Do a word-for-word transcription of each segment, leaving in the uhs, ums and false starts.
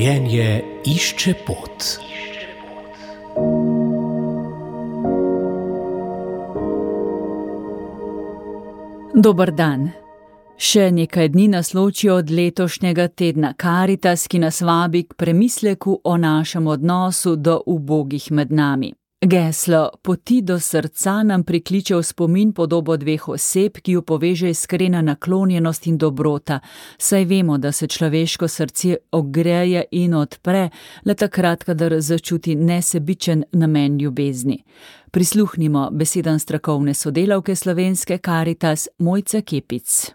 Življenje išče pot. Dober dan. Še nekaj dni nas loči od letošnjega tedna Karitas, ki nas vabi k premisleku o našem odnosu do ubogih med nami. Geslo Poti do srca nam prikliče v spomin podobo dveh oseb, ki ju poveže iskrena naklonjenost in dobrota, saj vemo, da se človeško srce ogreje in odpre le takrat, kadar začuti nesebičen namen ljubezni. Prisluhnimo besedam strokovne sodelavke slovenske Karitas Mojce Kepic.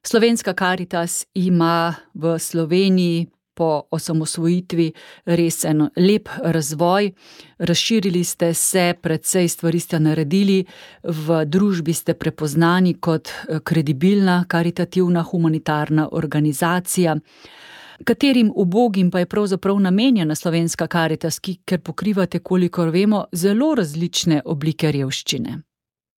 Slovenska Karitas ima v Sloveniji po osamosvojitvi res en lep razvoj. Razširili ste se, precej stvari ste naredili, v družbi ste prepoznani kot kredibilna, karitativna, humanitarna organizacija. Katerim ubogim pa je pravzaprav namenjena Slovenska Karitas, ki, ker pokrivate, kolikor vemo, zelo različne oblike revščine?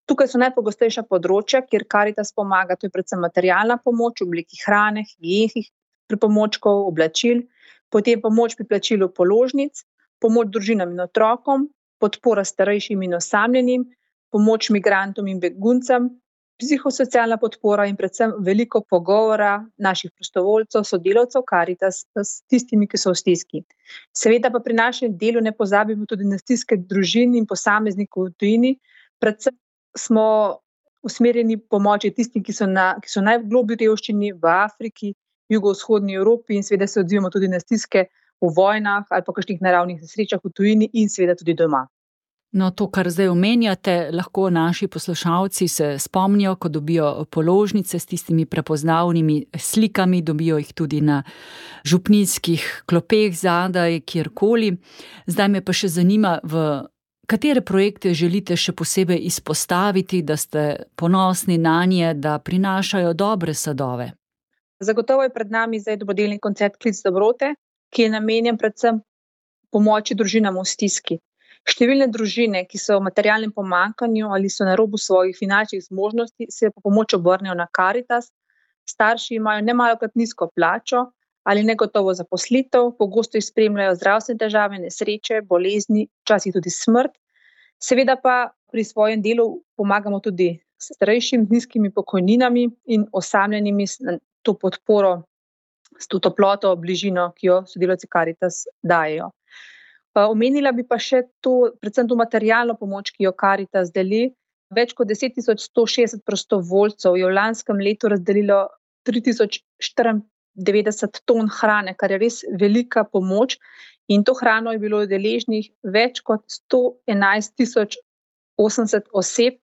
Tukaj so najpogostejša področja, kjer Karitas pomaga, to je predvsem materialna pomoč v obliki hrane, higienskih pripomočkov, oblačil, potem pomoč pri plačilu položnic, pomoč družinam in otrokom, podpora starejšim in osamljenim, pomoč migrantom in beguncem, psihosocialna podpora in predvsem veliko pogovora naših prostovoljcev, sodelavcev Karitas s tistimi, ki so v stiski. Seveda pa pri našem delu ne pozabimo tudi na stiske družin in posameznikov v tujini, predvsem smo usmerjeni pomoči tistim, ki so, na, ki so najgloblji revščini v Afriki, jugovzhodni Evropi in seveda se odzivamo tudi na stiske v vojnah ali pa kakšnih naravnih nesrečah v tujini in seveda tudi doma. No, to, kar zdaj omenjate, lahko naši poslušalci se spomnijo, ko dobijo položnice s tistimi prepoznavnimi slikami, dobijo jih tudi na župnijskih klopeh zadaj, kjerkoli. Zdaj me pa še zanima, v katere projekte želite še posebej izpostaviti, da ste ponosni nanje, da prinašajo dobre sadove? Zagotovo je pred nami zdaj dobrodelni koncert Klic dobrote, ki je namenjen predvsem pomoči družinam v stiski. Številne družine, ki so v materialnem pomanjkanju ali so na robu svojih finančnih zmožnosti, se po pomoč obrnejo na Karitas. Starši imajo nemalokrat nizko plačo ali negotovo zaposlitev, pogosto jih spremljajo zdravstvene težave, nesreče, bolezni, včasih tudi smrt. Seveda pa pri svojem delu pomagamo tudi starejšim z nizkimi pokojninami in osamljenimi to podporo, s to toploto, bližino, ki jo sodelavci Karitas dajejo. Omenila bi pa še to, predvsem to materialno pomoč, ki jo Karitas deli. Več kot deset tisoč sto šestdeset prostovoljcev je v lanskem letu razdelilo tri tisoč štiriindevetdeset ton hrane, kar je res velika pomoč, in to hrano je bilo deležnih več kot sto enajst tisoč osemdeset oseb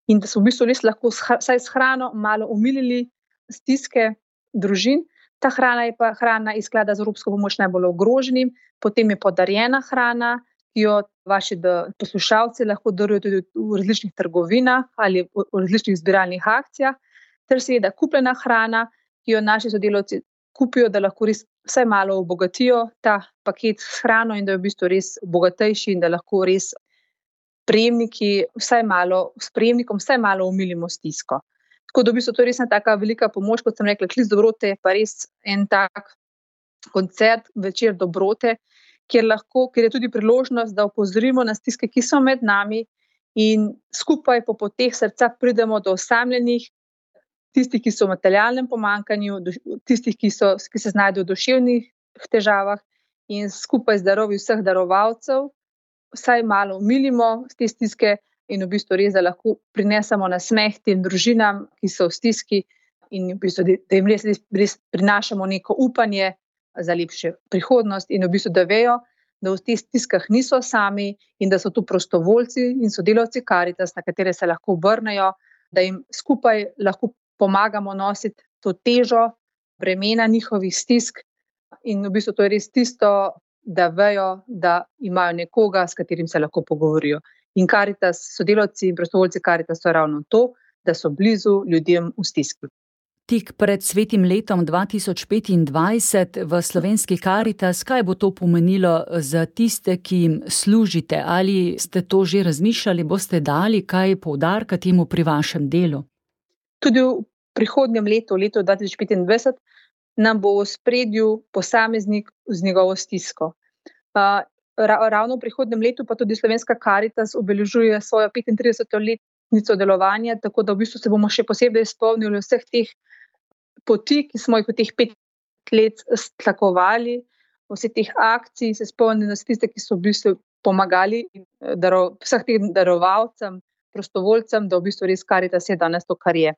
in da so v bistvu res lahko vsaj s hrano malo omilili stiske družin. Ta hrana je pa hrana iz sklada za evropsko pomoč najbolj ogroženim, potem je podarjena hrana, ki jo vaši poslušalci lahko darujejo tudi v različnih trgovinah ali v različnih zbiralnih akcijah, ter seveda kupljena hrana, ki jo naši sodelavci kupijo, da lahko res vsaj malo obogatijo ta paket s hrano in da je v bistvu res bogatejši in da lahko res prejemniki vsaj malo, s prejemnikom vsaj malo omilimo stisko. Tako da v bistvu to je res ena taka velika pomoč, kot sem rekla, Klic dobrote je pa res en tak koncert, večer dobrote, kjer lahko, kjer je tudi priložnost, da opozorimo na stiske, ki so med nami in skupaj po poteh srca pridemo do osamljenih, tistih, ki so v materialnem pomanjkanju, tistih, ki so, ki se znajdejo v duševnih težavah in skupaj z darovi vseh darovalcev vsaj malo omilimo te stiske in v bistvu res, da lahko prinesemo nasmeh tem družinam, ki so v stiski in v bistvu, da jim res, res prinašamo neko upanje za lepšo prihodnost in v bistvu, da vejo, da v teh stiskah niso sami in da so tu prostovoljci in sodelavci Karitas, na katere se lahko obrnejo, da jim skupaj lahko pomagamo nositi to težo bremena njihovih stisk in v bistvu to je res tisto, da vejo, da imajo nekoga, s katerim se lahko pogovorijo. In Karitas, sodelavci in prostovoljci Karitas so ravno to, da so blizu ljudem v stiski. Tik pred svetim letom dva tisoč petindvajset v slovenski Karitas, kaj bo to pomenilo za tiste, ki jim služite? Ali ste to že razmišljali, boste dali kaj poudarka temu pri vašem delu? Tudi v prihodnjem letu, letu dva tisoč petindvajset, nam bo v ospredju posameznik z njegovo stisko. Uh, ravno v prihodnjem letu pa tudi Slovenska Karitas obeležuje svojo petintrideseto letnico delovanja, tako da v bistvu se bomo še posebej spomnili vseh teh poti, ki smo jih v teh pet let tlakovali, vse teh akcij, se spomnili na tiste, ki so v bistvu pomagali daro, vseh teh darovalcem, prostovoljcem, da v bistvu res Karitas je danes to, kar je.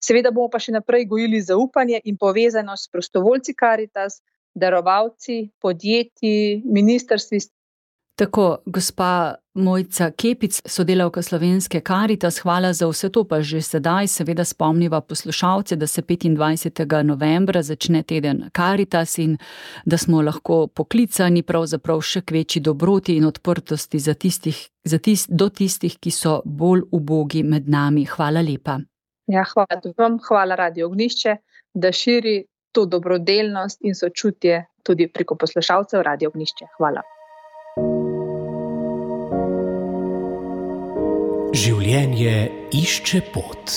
Seveda bomo pa še naprej gojili zaupanje in povezanost s prostovoljci Karitas, darovalci, podjetji, ministrstvi. Tako, gospa Mojca Kepic, sodelavka Slovenske Karitas, hvala za vse to, pa že sedaj seveda spomniva poslušalce, da se petindvajsetega novembra začne teden Karitas in da smo lahko poklicani pravzaprav še k večji dobroti in odprtosti za tistih, za tist, do tistih, ki so bolj ubogi med nami. Hvala lepa. Ja, hvala vam, hvala Radio Ognjišče, da širi to dobrodelnost in sočutje tudi preko poslušalcev Radio Ognjišče. Hvala. Življenje išče pot.